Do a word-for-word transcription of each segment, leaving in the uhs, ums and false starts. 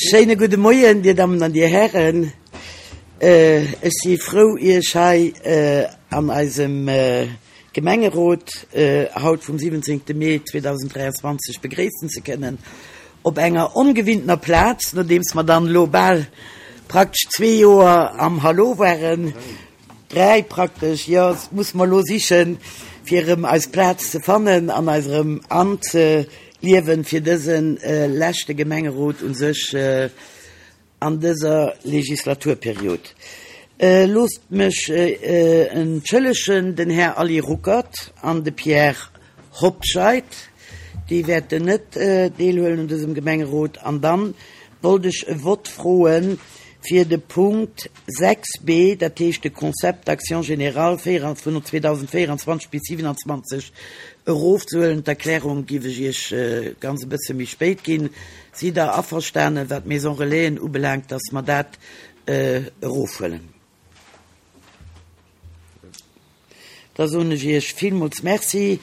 Schéine gudde Moien, Dir Dammen an Dir Hären. Ech si frou, Iech hei an eisem Gemengerot haut vum siwwenzéngte Mee zweedausenddräianzwanzeg begréissen ze kënnen op enger ongewinntener Plaz, nodeems mer dann elo bal praktesch zwee Joer am Hallo waren, dräi praktesch, jo, musse mer elo sichen, fir erëm eis Plaz ze fannen an eis erëm anzeliewen fir dëse leschte Gemengerot u sech an dëser Legislaturperiod. Loosst mech entschëllegen, den Här Aly Ruckert an de Pierre Hobscheit, déi wäerten net deelhuelen un dësem Gemengerot. An dann wollt ech e Vott froe fir de Punkt sechs b, dat heescht de Concept d'action générale vun zweedausendvéieranzwanzeg bis siwenanzwanzeg erofzehuelen. D'Erklärung giff ech Iech ganz e bësse méi spéit ginn. Sidd Der averstanen, wat d'Maison Relaisen ubelaangt, dass mer dat erofhuelen? Da soen ech Iech villmools Merci.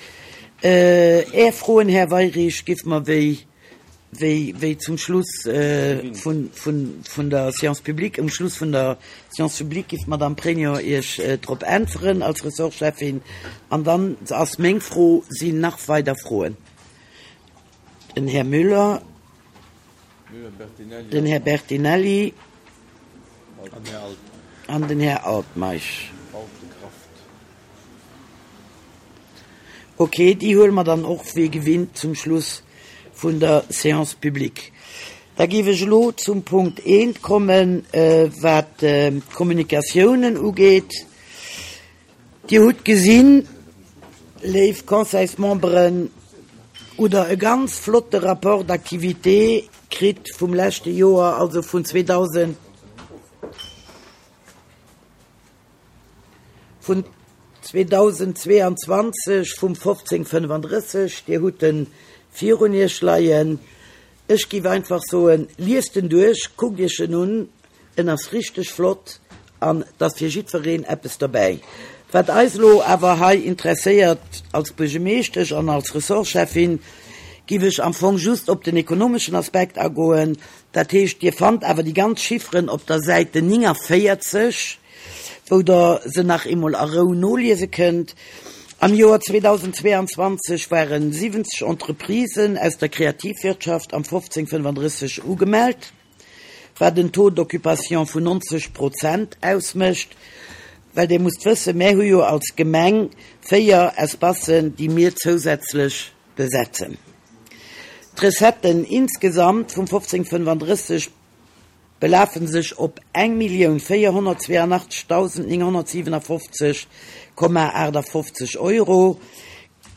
Är Froen, Här Weyrich, giff mer wéi, wéi, wéi zum Schluss vun, vun, vun der Séance publique, um Schluss vun der Séance publique giff d'Madame Pregno Iech drop äntweren als Ressortcheffin. An dann ass meng Fro, Sinn nach weider Froen? Den Här Müller, den Här Bertinelli an den Här Altmeisch. Ok, déi huele mer dann och wéi gewinnt zum Schluss vun der Séance publique. Da géif ech elo zum Punkt eent kommen, wat d'Kommunikatiounen ugeet. Dir hutt gesinn, léif Conseilsmemberen, oder e ganz flotte Rapport d'activité kritt vum leschte Joer, also vun zweedausend, vun zweedausendzweeanzwanzeg vum fofzéng fënnefandrësseg. Dir hutt en virun Iech leien. Ech géif einfach soen, liest en duerch, kuckt Iech en un, en ass richteg flott an et ass fir jiddwereen eppes derbäi. Wat eis elo awer hei interesséiert als Buergermeeschtesch an als Ressortcheffin, géif ech am Fong just op den ekonomeschen Aspekt agoen. Dat heescht, Dir fannt awer déi ganz Chifferen op der Säite nénganvéierzeg, wou Der se nach eemol a Rou noliese kënnt. Am Joer zweedausendzweeanzwanzeg ware siwwenzeg Entreprisen aus der Kreativwirtschaft am fofzéng fënnefandrësseg ugemellt, wat en Taux d'occupation vun nonzeg Prozent ausmécht. Well Dir musst wëssen, mär hu jo als Gemeng véier Espacen, déi mir zousätzlech besetzen. D'Recetten insgesamt vum fofzéng fënnefandrësseg belafe sech op eng Millioun véierhonnertzweeanachtzegdausend nénghonnertsiwenafofzeg Komma aachtafofzeg Euro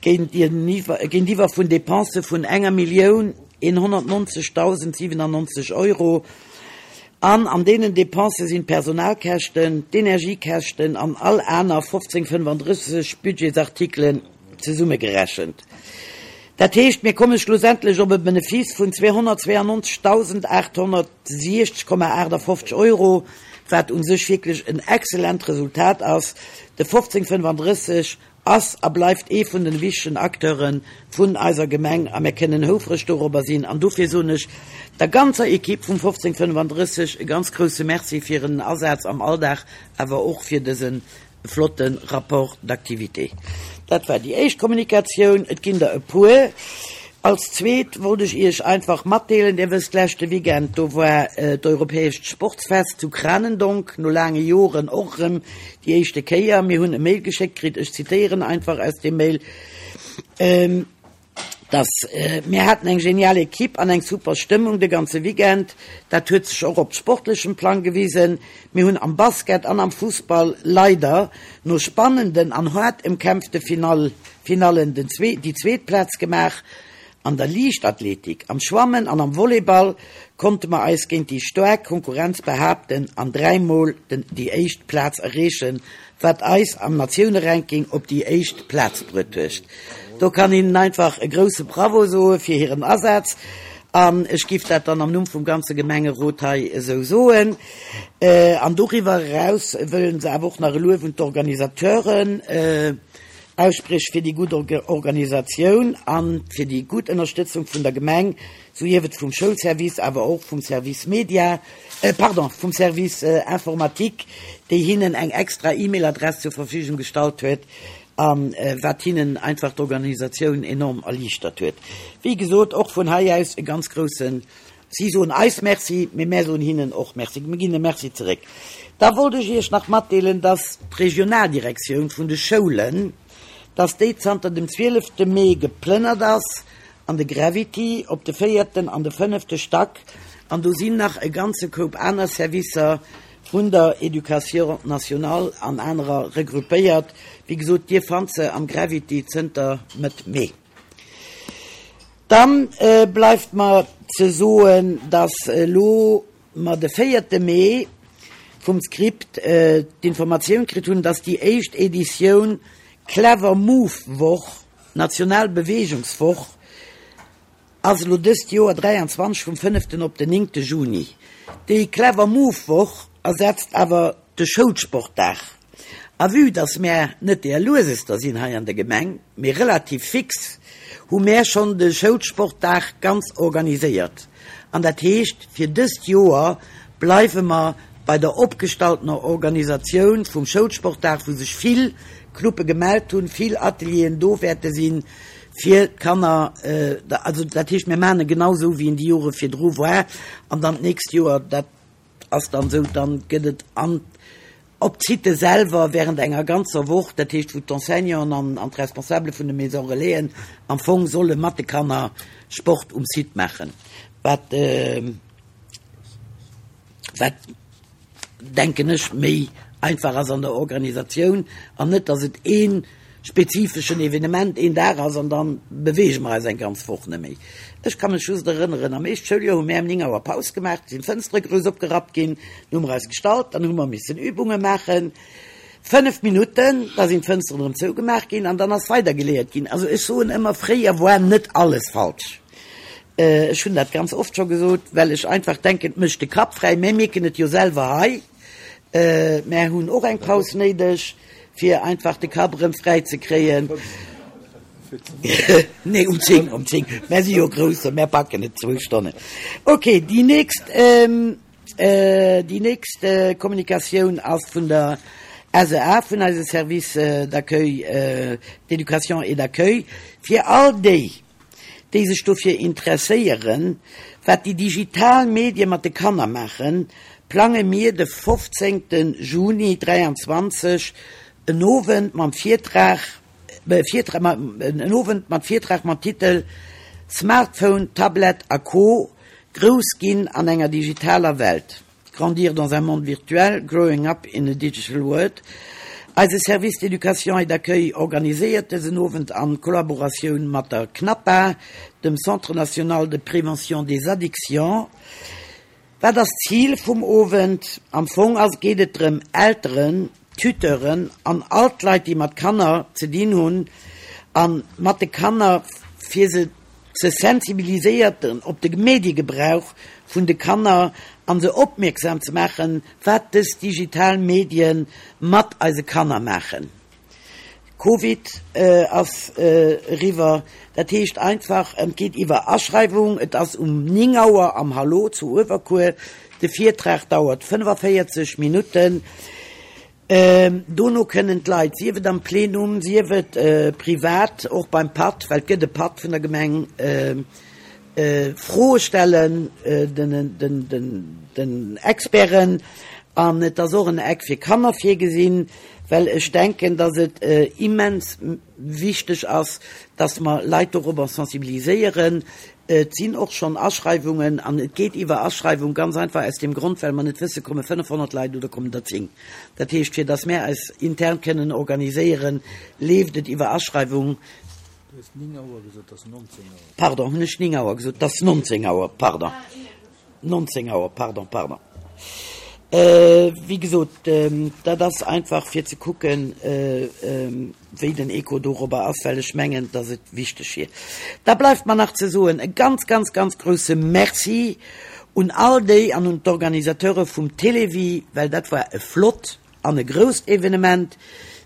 géintiwwer vun Depensë vun enger Millioun eenhonnertnonzegdausend siwenannonzeg Euro. An an deenen Depensë sinn d'Personalkäschten, d'Energiekäschten an all aner fofzéng fënnefandrësseg Budgetsartikelen zesummegerechent. Dat heescht, mir komme schlussendlech op e Benefice vun zweehonnertzweeannonzegdausendaathonnertsiechzeg Komma aachtafofzeg Euro, wat u sech wierklech en excellent Resultat ass. De fofzéng fënnefandrësseg ass a bleift ee vun den wichtegen Acteure vun eiser Gemeng a mir kënnen houfreg dorobber sinn. An dofir soen ech der ganzer Equipe vum fofzéng fënnefandrësseg e ganz grousse Merci fir hiren Asaz am Alldag, awer och fir dëse flotte Rapport d'activité. Dat war déi éischt Kommunikatioun. Et ginn der e puer. Als zweet wollt ech Iech einfach matdeelen, Dir wësst, leschte Weekend, do war d'Europäescht Sportsfest zu Kranendonk, no laange Joren och erëm déi éischte Kéier. Mir hunn e Mail geschéckt kritt, ech zitéieren einfach aus deem Mail, dass, Mir haten eng genial Equipe an eng super Stëmmung de ganze Weekend. Dat huet sech och op sportlechem Plang gewisen. Mir hunn am Basket an am Fussball leider no spannenden an haart ëmkämpfte Finallen den déi zweet Plaz gemaach. An der Liichtathletik, am Schwammen an am Volleyball konnte mer eis géint déi staark Konkurrenz behaapten an dräimol déi éischt Plaz erreechen, wat eis am Natiouneranking op déi éischt Plaz bruet huet. Do kann een einfach e grousse Bravo soe fir hiren Asaz an ech giff dat dann am Numm vum ganze Gemengerot hei esou soen. An doriwwer eraus wëllen se awer och nach e Luef un d'Organisateuren aussprieche fir déi gutt Organisatioun a fir déi gutt Ënnerstëtzung vun der Gemeng, souhief et vum Schoulservice, awer och vum Service Media, pardon, vum Service Informatique, déi hinnen eng extra E-Mail-Adress zur Verfügung gestallt huet a wat hinnen einfach d'Organisatioun enorm erliichtert huet. Wéi gesot, och vun hei aus e ganz grousse Si soen eis Merci, mee mär soen hinnen och Merci. Mir ginn e Merci zeréck. Da wollt ech Iech nach matdeelen, dass d'Regionaldirektioun vun de Schoulen, dass déi zanter dem zwielefte Mee geplënnert ass an de Gravity op de véierten an de fënnefte Stack. An do sinn nach e ganze Koup aner Servicer vun der Éducation nationale an anerer regroupéiert. Wéi gesot, Dir fannt se am Gravity zënter Mëtt Mee. Dann bleift mer ze soen, dass elo mer de véierte Mee vum Script d'Informatioun kritt hunn, dass déi éischt Editioun Clever Move Woch, national Beweegungswoch, ass elo dëst Joer dräianzwanzeg vum fënneften op den néngte Juni. Déi Clever Move Woch ersetzt awer de Schoulsportdag. A vue dass mär net deer Luesester sinn hei an der Gemeng, mee relativ fix, hu mär schonn de Schoulsportdag ganz organiséiert. An dat heescht, fir dëst Joer bleiwe mer bei der opgestalltener Organisatioun vum Schoulsportdag, wou sech vill Clube gemellt hunn, vill Atelieren do wäerte sinn, fir d'Kanner, also dat heescht, mir maachen e genau esou, wéi en déi Jore virdru war. An dann d'nächst Joer, dat ass dann esou, dann gëtt et an op d'Site selwer während enger ganzer Woch, dat heescht wou d'Enseignanten an an d'Responsabele vun de Maison Relaisen am Fong solle mat de Kanner Sport um Site maachen, wat wat denken ech méi einfach ass an der Organisatioun an net, datt et ee spezifeschen Evenement een Dag ass an da beweege mer eis eng ganz Woch net méi. Ech ka mech just erënneren, am éischt Schouljoer hu mär ëm néng Auer Paus gemaach, du sinn d'Fënstere grouss opgerappt ginn, du hu mer eis gestallt, dann hu mer missen Übunge maachen, fënnef Minutten, da sinn d'Fënsteren erëm zougemaach ginn an dann ass weidergeléiert ginn. Also ech soen ëmmer, fréier war net alles falsch. Ech hunn dat ganz oft scho gesot, well ech einfach denken, et mécht de Kapp fräi. Mär mierken et jo selwer hei, mär hunn och eng Paus néideg, fir einfach de Kapp erëm fräi ze kréien. Nee, um zéng, um zéng. Mär si jo Grousser, mär packen et zwou Stonnen. Okay, déi nächst, déi nächst Kommunikatioun ass vun der S E A, vun eise Service d'accueil, d'éducation et d'accueil, fir all déi, déi sech dofir interesséieren, wat déi digital Medie mat de Kanner maachen, plange mir de fofzéngte Juni dräianzwanzeg en Owend mam Virtrag, en Owend mat Virtrag mam Titel Smartphone, Tablett a Co. Grouss ginn an enger digitaler Welt, Grandir dans un monde virtuel, Growing up in a digital world. Eise Service d'éducation et d'accueil organiséiert dësen Owend an Kollaboratioun mat der CNAPA, dem Centre national de prévention des addictions. Wat ass d'Zil vum Owend? Am Fong ass geet et drëm, Elteren, Tuteuren an all d'Leit, déi mat Kanner ze dinn hunn a mat de Kanner, fir se ze sensibiliséierten op de Mediegebrauch vun de Kanner an se opmierksam ze maachen, wat dës digital Medie mat eise Kanner maachen. Covid ass eriwwer. Dat heescht einfach, et geet iwwer Aschreiwung. Et ass um néng Auer am Hallo zu Uewerkuer. De Virtrag dauert fënnefavéierzeg Minutten. Dono kënnen d'Leit, sief et am Plenum, sief et privat, och beim Patt, well et gëtt e Patt vun der Gemeng, Froe stellen den Experten. An et ass och en Eck fir Kanner virgesinn, well ech denken, dass et immens wichteg ass, dass mer Leit dorobber sensibiliséieren. Et sinn och schonn Aschreiwungen an et geet iwwer Aschreiwung, ganz einfach aus deem Grond, well mer net wësse komme fënnefhonnert Leit oder kommen der zéng. Dat heescht, fir dass mär eis intern kënnen organiséieren, leeft et iwwer Aschreiwung. Du hues néng Auer gesot, et ass nonzéng Auer. Pardon, hunn ech néng Auer gesot? Et ass nonzéng Auer, pardon. Nonzéng Auer, pardon, pardon. Wéi gesot, dat ass einfach fir ze kucken, wéi den Echo dorobber ass, well ech mengen, dass et wichteg wier. Da bleift mer nach ze soen, e ganz, ganz, ganz grouse Merci un all déi an un d'Organisateure vum Télévie, well dat war e flott an e grousst Evenement.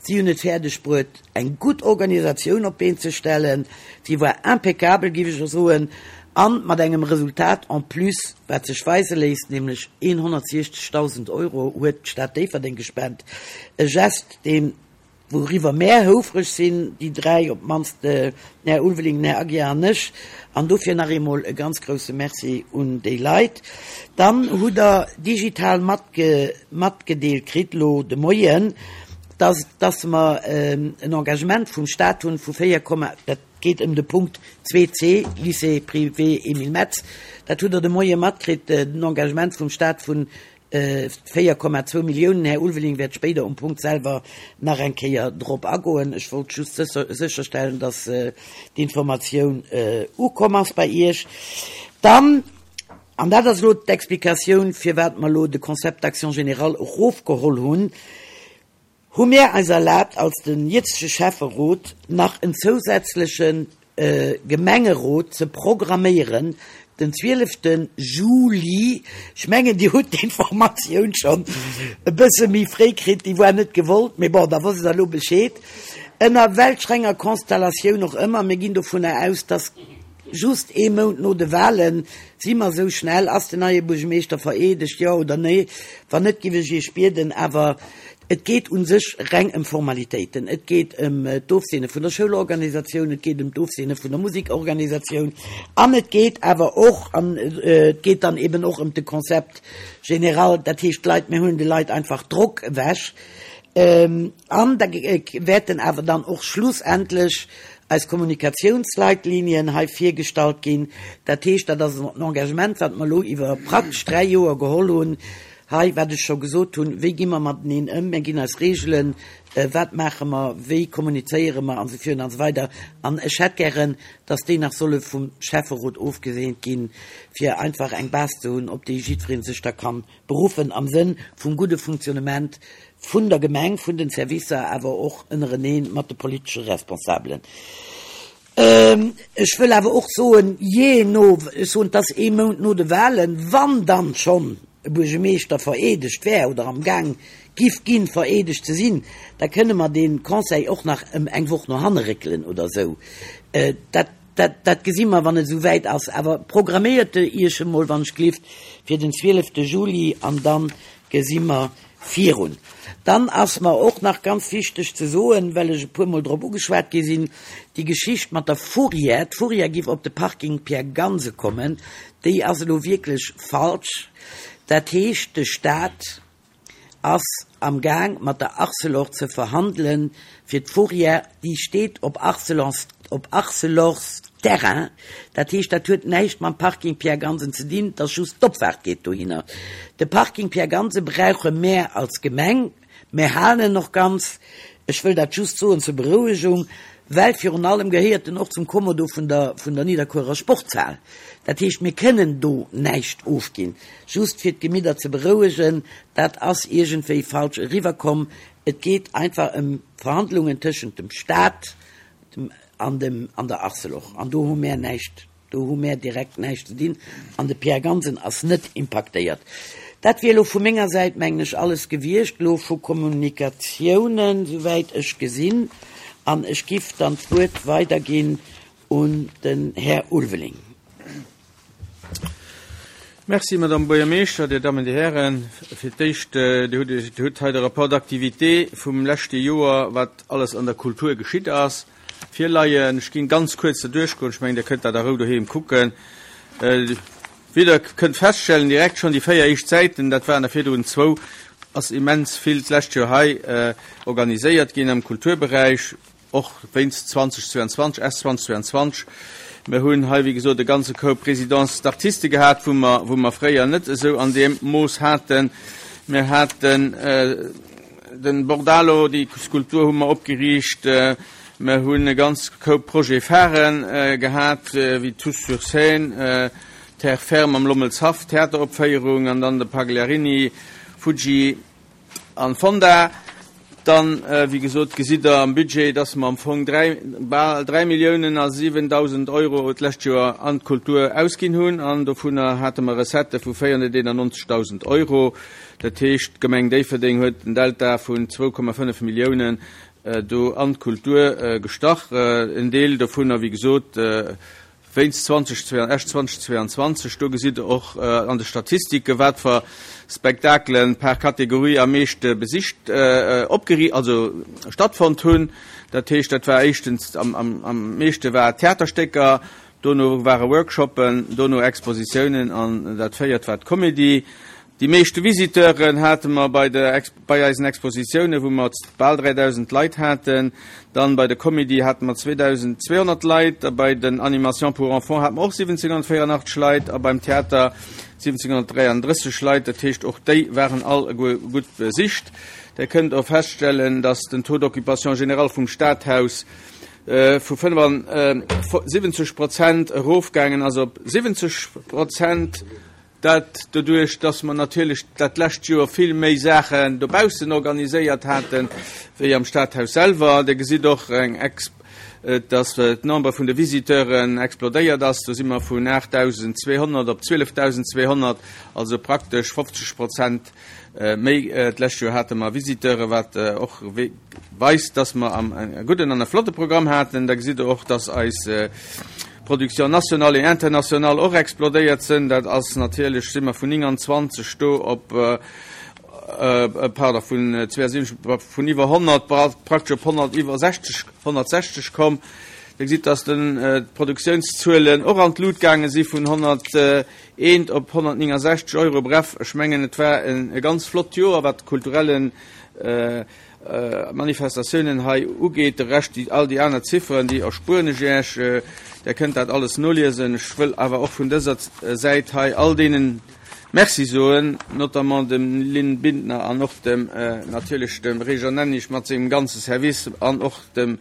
Si hunn et fäerdeg bruet, eng gutt Organisatioun op d'Been ze stellen. Si war impeccabel, géif ech soen, a mat engem Resultat en plus, wat sech weise léisst, nämlech hunnertsiechzegdausend Euro huet d'Stad Déifferdeng gespent. E Gest, deen, wouriwwer mär houfreg sinn, déi dräi, op d'mannst den Här Ulveling, den Här Aguiar an ech. An dofir nach eemol e ganz grouse Merci un déi Leit. Dann hutt Der digital matgedeelt kritt elo de Moien, dass, dass mer en Engagement vum Stat hunn vu véier Komma, dat geet ëm de Punkt zwee C, Lycée privé Emile Metz, dat hutt Der de Moie matkritt, den Engagement vum Stat vun véier Komma zwou Milliounen. Här Ulveling wäert spéider um Punkt selwer nach eng Kéier drop agoen. Ech wollt just sécherstellen, dass d'Informatioun ukomm ass bei Iech. Dann, an dat ass elo d'Explikatioun, firwat mer elo de Concept d'action générale erofgeholl hunn, hu mir eis erlaabt, als den jëtzege Schäfferot nach en zousätzleche Gemengerot ze programméieren, den zwielefte Juli. Ech mengen, Dir hutt d'Informatioun schonn e bësse méi fréi kritt, déi war net gewollt, mee bon, da wosst Der elo Bescheed. Ënner welch enger Konstellatioun och ëmmer, mir ginn dovunner aus, dass just ee Mount no de Wahlen, si mer esou schnell, ass den neie Buergermeeschter vereedegt, jo oder nee? Wann net, giff ech Iech bieden, awer et geet u sech reng ëm Formalitéiten. Et geet ëm d'Ofseene vun der Schoulorganisatioun, et geet ëm d'Ofseene vun der Musekorganisatioun an et geet awer och, an et geet dann eben och ëm de Concept général, dat heescht d'Leit, mir huelen de Leit einfach Drock ewech. An da wäerten awer dann och schlussendlech eis Kommunikatiounsleitlinien hei virgestallt ginn. Dat heescht, dat ass en Engagement, wat mer elo iwwer praktesch dräi Joer geholl hunn, hei, wat ech scho gesot hunn, wéi gi mer mateneen ëm, mir ginn eis Reegelen, wat maache mer, wéi kommunizéiere mer an esou virun an esou weider. An ech hätt gären, dass déi nach solle vum Schäfferot ofgeseent ginn, fir einfach eng Base ze hunn, op déi jiddweree sech da ka beruffen am Sënn vum gudde Fonctionnement vun der Gemeng, vun den Servicer, awer och ënnereneen mat de politesche Responsabelen. Ech wëll awer och soen, jee no, ech soen, et ass ee Mount no de Wahlen, wann dann schonn e Buergermeeschter vereedegt wär oder am Gaang giff ginn, vereedegt ze sinn, da kënne mer dee Conseil och nach ëm eng Woch no hanne réckelen oder esou. Dat, dat, dat gesi mer, wann et esou wäit ass. Awer programméiert Iech emol, wann ech gelift, fir den zwielefte Juli an da gesi mer virun. Dann ass mer och nach ganz wichteg ze soen, well ech e puermol drop ugeschwat gi sinn, déi Geschicht mat der Fourrière, d'Fourrière giff op de Parking Pierre Ganse kommen, déi ass elo wierklech falsch. Dat heescht, de Stat ass am Gaang mat der Arcelor ze verhandelen, fir d'Fourrière, déi steet op Arcelors, op Arcelors Terrain, dat heescht, dat huet näischt mam Parking Pierre Gansen ze dinn, et ass just d'Opfaart geet dohinner. De Parking Pierre Gansen brauche mär als Gemeng, mär halen en och ganz, ech wëll dat just soen zur Berouegung, well virun allem gehéiert en och zum Kommodo vun der, vun der Nidderkuerer Sportshal. Dat heescht, mir kënnen do näischt ofginn. Just fir d'Gemidder ze berouegen, dat ass iergendwéi falsch eriwwerkomm. Et geet einfach ëm Verhandlungen tëschent dem Stat dem, an dem, an der Arcelor. An do hu mär näischt, do hu mär direkt näischt ze dinn. An de Pierre Gansen ass net impaktéiert. Dat wier elo vu menger Säit, mengen ech, alles gewiescht elo vu Kommunikatiounen, souwäit ech gesinn. An ech giff dann d'Wuert weiderginn un den Här Ulveling. Merci, Madame Buergermeeschter, Dir Dammen, Dir Hären. Fir d'éischt, Dir hutt, Dir hutt hei de Rapport d'activité vum leschte Joer, wat alles an der Kultur geschitt ass, virleien. Ech ginn ganz kuerz do duerchgoen. Ech mengen, Dir kënnt dat a Rou doheem kucken. Wéi Der kënnt feststellen, direkt schonn déi véier éischt Säiten, dat waren der virdrun zwou, ass immens vill d'lescht Joer hei organiséiert ginn am Kulturberäich, och wéinst zwanzeg zweianzwanzeg, S zwanzeg zweianzwanzeg. Mir hunn hei, wéi gesot, e ganze Koup Résidence d'artistes gehat, wou mer, wou mer fréier net esou an deem Mooss haten. Mir haten den Bordalo, déi Skulptur hu mer opgeriicht. Mir hunn e ganz Koup Projets phare gehat, wéi Tous sur scène, Terre ferme am Lommelshaff, Theateropféierung, an dann de Pagliarini, Fuji an Fonda. Dann, wéi gesot, gesitt Der am Budget, dass mer am Fong dräi, bal dräi Milliounen a siwendausend Euro d'lescht Joer an d'Kultur ausginn hunn, an dovunner hate mer Recettë vu véierhonnerteenannonzegdausend Euro. Dat heescht, d'Gemeng Déifferdeng huet en Delta vun zwou Komma fënnef Milliounen do an d'Kultur gestach. En Deel dovunner, wéi gesot, wéinst Esch zweitausendzweiundzwanzeg. Do gesitt Der och an de Statistike wat fir Spektakelen per Kategorie am meeschte besicht, opgeri also stattfonnt hunn. Dat heescht, dat war éischtens am, am, am meeschte war Theaterstécker, dono ware Workshoppen, dono Expositiounen an dat véiert war d'Comedy. Déi meeschte Visiteuren hate mer bei de bei eisen Expositiounen, wou mer bal dräidausend Leit haten. Dann bei der Comedy hate mer zweedausendzweehonnert Leit, a bei den Animations pour enfants hate mer och siwwenzénghonnertvéierundachteg Leit a beim Theater siwwenzénghonnertdräianddrësseg Leit. Dat heescht, och déi waren all gutt besicht. Der kënnt och feststellen, dass den Taux d'occupation général vum Stadhaus vu fënnefundsiwwenzeg Prozent erofgaangen ass op siwwenzeg Prozent. Dat doduerch, dass mer natierlech dat lescht Joer vill méi Saachen dobaussen organiséiert haten, wéi am Stadhaus selwer. Dir gesitt och eng dass d'Nombre vun de Visiteuren explodéiert ass. Do si mer vun aachtdausendzweehonnert op zwielefdausendzweehonnert, also praktesch fofzeg Prozent méi. D'lescht Joer hate mer Visiteuren, wat och weist, dass mer e gudden an e flotte Programm haten. Da gesitt Der och, dass eis Production nationale et internationale och explodéiert sinn. Dat ass natierlech, si mer vun nénganzwanzeg do op, pardon, vun zweiundsiwwenzeg, vun iwwer honnert praktesch op honnert iwwer sechzeg, honnertsechzeg komm. Dir gesitt, dass den d'Produktiounszuelen och an d'Lut gaange si vun honnerteent op honnertnéngasechzeg Euro. Bref, ech mengen, et war e ganz flott Joer, wat kulturellen Manifestatiounen hei ugeet. De Rescht, déi, all déi aner Zifferen, déi erspueren ech Iech. Der kënnt dat alles noliesen. Ech wëll awer och vun dëser Säit hei all deenen Merci soen, notamment dem Lynn Bindner an och dem, natierlech dem Réjean Nennig mat sengem ganze Service an och dem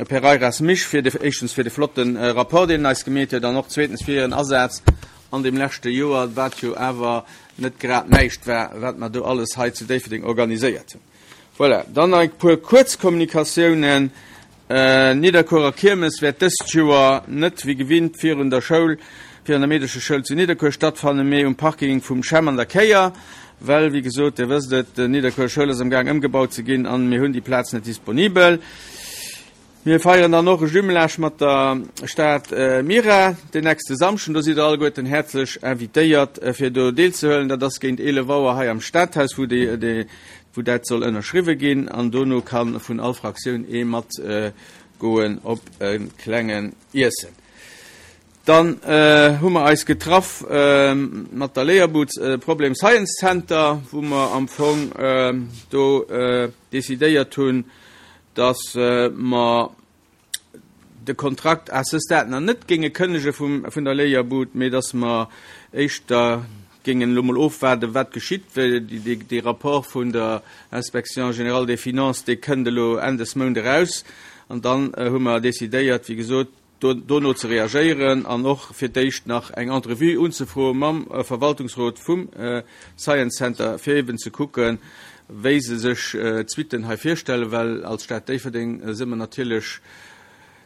Pereiras Misch fir de, éischtens fir de flotte Rapport, deen en eis gemeet huet, an och zweetens fir hiren Asaz an deem leschte Joer, wat jo awer net grad näischt war, wat mer do alles hei zu Déifferdeng organiséiert hunn. Voilà, dann nach e puer kuerz Kommunikatiounen. Nidderkuerer Kiermes wäert dëst Joer net wéi gewinnt virun der Schoul, virun der Meedescheschoul zu Nidderkuer stattfannen, mee um Parking vum CHEM an der Kéier, well, wéi gesot, Dir wësst et, d'Nidderkuerer Schoul ass am Gaang ëmgebaut ze ginn an mir hunn déi Plaz net disponibel. Mir feieren dann och e Jumelage mat der Stad Mira den nächste Samschden. Do sidd Der alleguerten häerzlech invitéiert, fir do deelzehuelen. Dat ass géint eelef Auer hei am Stadhaus, wou déi, déi, wou dat soll ënnerschriwwe ginn. An dono ka vun all Fraktioun ee mat goen op e klengen Iessen. Dann hu mer eis getraff mat der Léierbud Problem Science Center, wou mer am Fong do decidéiert hunn, dass mer de Kontrakt à ce stade nach net géinge kënnege vum, vun der Léierbud, mee dass mer éischter géingen elo mol ofwaarden, wat geschitt, well dee Rapport vun der Inspection générale des finances, dee kënnt elo Enn des Mount eraus. An dann hu mer decidéiert, wéi gesot, dono ze reagéieren an och fir d'éischt nach eng Entrevue unzefroe mam Verwaltungsrot vum Science Center, fir eben ze kucken, wéi se sech d'Suitten hei virstellen, well als Stad Déifferdeng si mer natierlech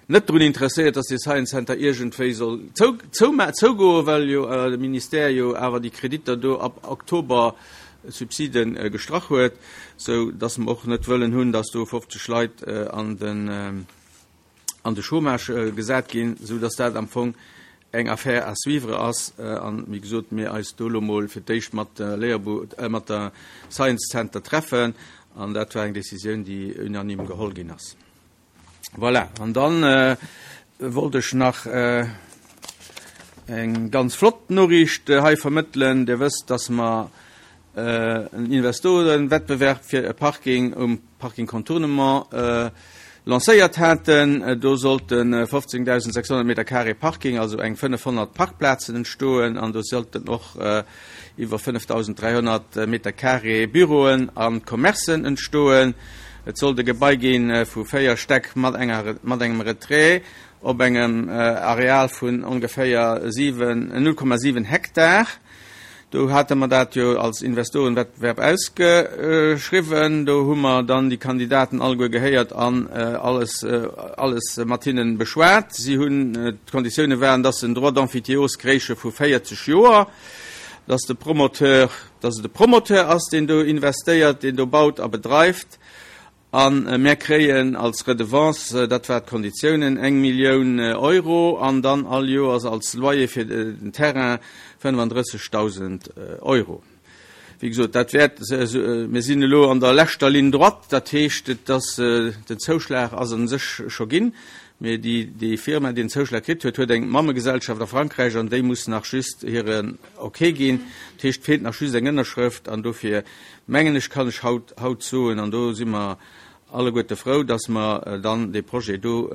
net drun interesséiert, dass dee Science Center iergendwéi soll zougoen, well jo de Ministère jo awer déi Kreditter do ab Oktober Subside gestrach huet, sou dass mer och net wëllen hunn, dass do fofzeg Leit an den an de Chômage gesat ginn, sou dass dat am Fong eng Affaire à suivre ass an, wéi gesot, mir eis do elo mol fir d'éischt mat der Léierbu-, mat der Science Center treffen an dat war eng Décisioun, déi unanime geholl ginn ass. Voilà, an dann wollt ech nach eng ganz flott Noriicht hei vermëttelen. Dir wësst, dass mer en Investorenwettbewerb fir e Parking um Parking Contournement lancéiert haten. Do sollte fofzéngdausendsechshonnert Meter carré Parking, also eng fënnefhonnert Parkplazen entstoen an do sollten och iwwer fënnefdausenddräihonnert Meter carré Büroen a Commercen entstoen. Et sollt e Gebai gi vu véier Stäck mat enger mat engem Retrait op engem Areal vun ongeféier siwen, null Komma siwen Hektar. Do hate mer dat jo als Investorenwettbewerb ausgeschriwwen. Do hu mer dann déi Kandidaten alleguer gehéiert an alles, alles mat hinnen beschwat. Si hunn, d'Konditioune waren, dass se en Droit d'emphytéose kréiche vu véierzeg Joer, dass de Promoteur, dass et de Promoteur ass, deen do investéiert, deen do baut a bedreift, An mär kréien als Redevance, dat war d'Konditiounen, eng Millioun Euro an dann all Joers als Loyer fir den Terrain fënnefandrëssegdausend Euro. Wéi gesot, dat wäert, mir sinn elo an der leschter Ligne droite, dat heescht, et ass, den Zouschlag ass a sech scho ginn, mee déi, déi Firma, déi den Zouschlag kritt huet, huet eng Mammegesellschaft a Frankräich an déi muss nach just hiren Ok ginn. Dat heescht, et feelt nach just eng Ënnerschrëft an dofir mengen ech, kann ech haut, haut soen, an do si mer alleguerte frou, dass mer dann dee Projet do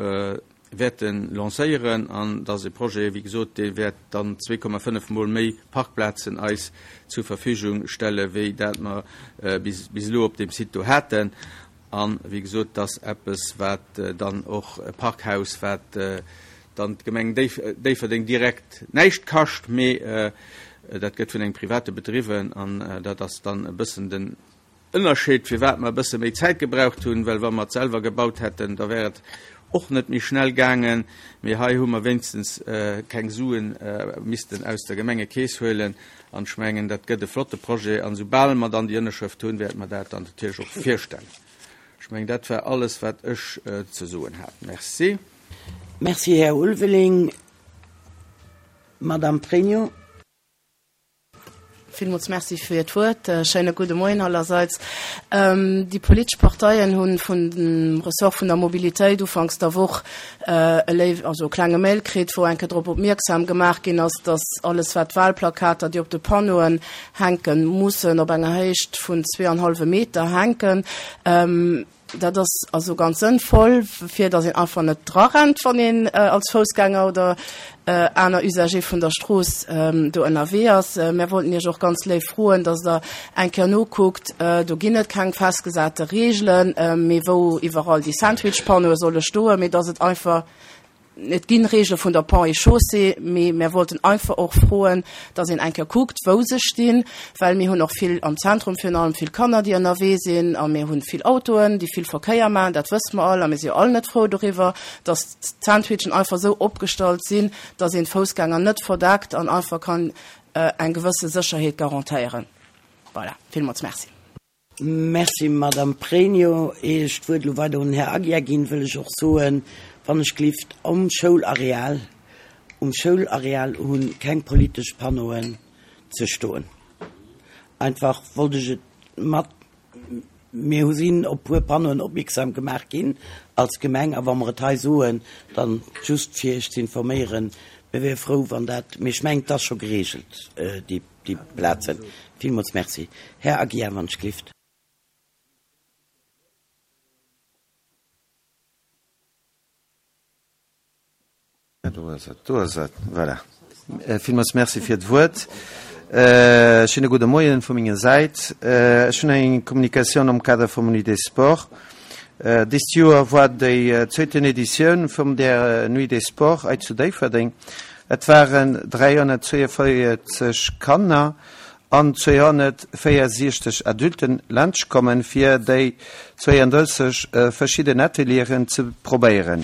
wäerte lancéieren an dass e Projet, wéi gesot, dee wäert dann zwee Komma fënnef Mol méi Parkplazen eis zur Verfügung stelle wéi dat mer bis elo op deem Site do haten. A wéi gesot, dass eppes, wat dann och e Parkhaus, wat dann d'Gemeng Déifferdeng direkt näischt kascht, mee dat gëtt vun engem Private bedriwwen an dat ass dann e bëssen den Ënnerscheed, firwat mer e bësse méi Zäit gebraucht hunn, well wa mer et selwer gebaut hätten, da wär et och net méi schnell gaangen. Mee hei hu mer wéinstens keng Suen missten aus der Gemengekeess huelen. An ech mengen, dat gëtt e flotte Projet. An esoubal mer dann déi Ënnerschrëft hunn, wäerte mer dat dann natierlech och virstellen. Ech mengen, dat war alles, wat ech ze soen hat. Merci. Merci, Här Ulveling. Madame Pregno. Villmools Merci fir d'Wuert. Schéine gudde Moien allerseits. Déi politesch Parteien hu vun dem Ressort vun der Mobilitéit ufanks der Woch e léif, also e klenge Mail kritt, wou eng Kéier drop opmierksam gemaach ginn ass, dass alles wat d'Wahlplakater, déi op de Panneauen hänken, mussen op enger Héicht vun zwee an hallwe Meter hänken. Dat ass also ganz sënnvoll, fir datt een einfach net drarennt, wann een als Foussgänger oder aner Usager vun der Strooss do ënnerwee ass. Mär wollten Iech och ganz léif froen, datt Der eng Kéier nokuckt, do ginn et keng festgesate Reegelen, mee wou iwwerall déi Sandwich-Panneaue solle stoen, mee datt et einfach, Et ginn Reegele vun der Ponts et Chaussées, mee mär wollten einfach och froen, dass een eng Kéier kuckt, wou se stinn, well mir hunn och vill am Zentrum virun allem vill Kanner, déi ënnerwee sinn, a mir hunn vill Autoen, déi vill Verkéier maachen, dat wësse mer all, a mir si jo all net frou doriwwer, dass d'Sandwichen einfach esou opgestallt sinn, dass een d'Foussgänger net verdeckt an einfach kann eng gewësse Sécherheet garantéieren. Voilà, villmools Merci. Merci, Madame Pregno. Ier ech d'Wuert elo weider un den Här Aguiar ginn, wëll ech och soen, wann ech glift, um Schoulareal, um Schoulareal hu keng politesch Panneauen ze stoen. Einfach wollt ech et mat, mir hu sinn op puer Panneauen opmierksam gemaach ginn als Gemeng, a wa mer et hei soen, dann just fir Iech ze informéieren, mir wiere frou, wann dat, mee ech mengen, et ass scho geregelt, déi. déi Plazen. Villmools Merci. Här Aguiar, wann ech glift. Do ass et, do ass et, voilà. Villmools Merci fir d'Wuert. Schéine gudde Moien vu menger Säit. Ech hunn eng Kommunikatioun am Kader vum Nuit des Sports. Dëst Joer war déi zweeten Editioun vum der Nuit des Sports hei zu Déifferdeng. Et waren dräihonnertzweeënvéierzeg Kanner an zweehonnertvéiersiechzeg Adulten laanscht kommen, fir déi zweeëndrësseg verschidden Atelieren ze probéieren.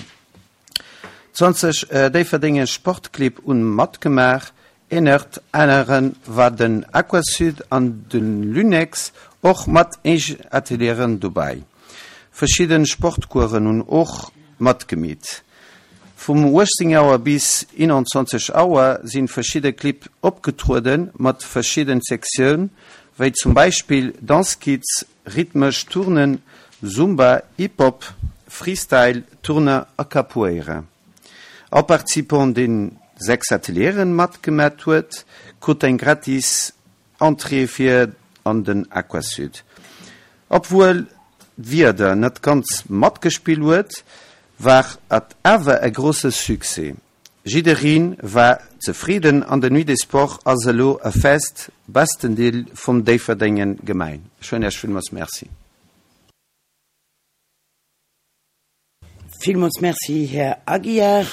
Zwanzeg Déifferdenger Sportclibb hunn matgemaach, Ennert aneren war den Aquasud an de Lunex och mat eegen Atelieren dobäi. Verschidden Sportcoursen hunn och matgemeet. Vum uechtzéng Auer bis eenanzwanzeg Auer sinn verschidde Clibb opgetrueden mat verschidden Sektioun wéi zum Beispill Dance Kids, Rhythmesch Turnen, Zumba, Hip Hop, Freestyle, Turne a Capoeira. All Participant deen sechs Atelieren matgemat huet krut eng gratis Entrée fir an den Aquasud. Obwuel d'Wieder net ganz matgespill huet, war et awer e grousse Succès. Jiddereen war zefridden an de Nuit des Sports ass elo e fest Bestendeel vum Déifferdenger Gemeng. Ech soen Iech villmools Merci. Villmools Merci, Här Aguiar.